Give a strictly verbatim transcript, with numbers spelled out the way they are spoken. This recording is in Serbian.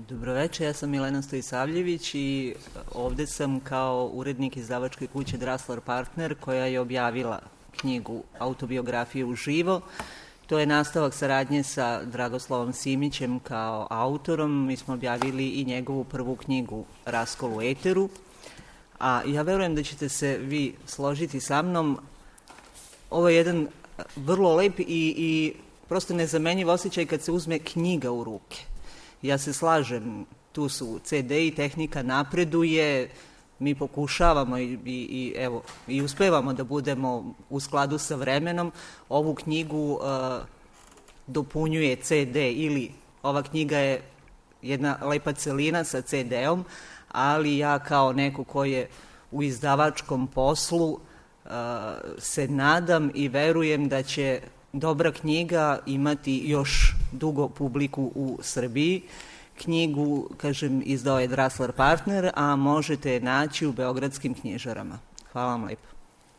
Dobroveče, ja sam Milena Stojisavljević i ovde sam kao urednik izdavačke kuće Draslar Partner koja je objavila knjigu Autobiografije uživo. To je nastavak saradnje sa Dragoslavom Simićem kao autorom. Mi smo objavili i njegovu prvu knjigu Raskol u eteru. A ja verujem da ćete se vi složiti sa mnom. Ovo je jedan vrlo lep i, i prosto nezamenjiv osjećaj kad se uzme knjiga u ruke. Ja se slažem, tu su ce de i tehnika napreduje, mi pokušavamo i, i, i, evo, i uspevamo da budemo u skladu sa vremenom. Ovu knjigu uh, dopunjuje ce de ili ova knjiga je jedna lepa celina sa ce de-om, ali ja kao neko ko je u izdavačkom poslu uh, se nadam i verujem da će dobra knjiga imati još dugo publiku u Srbiji. Knjigu, kažem, izdao je Draslar Partner, a možete je naći u beogradskim knjižarama. Hvala vam lepo.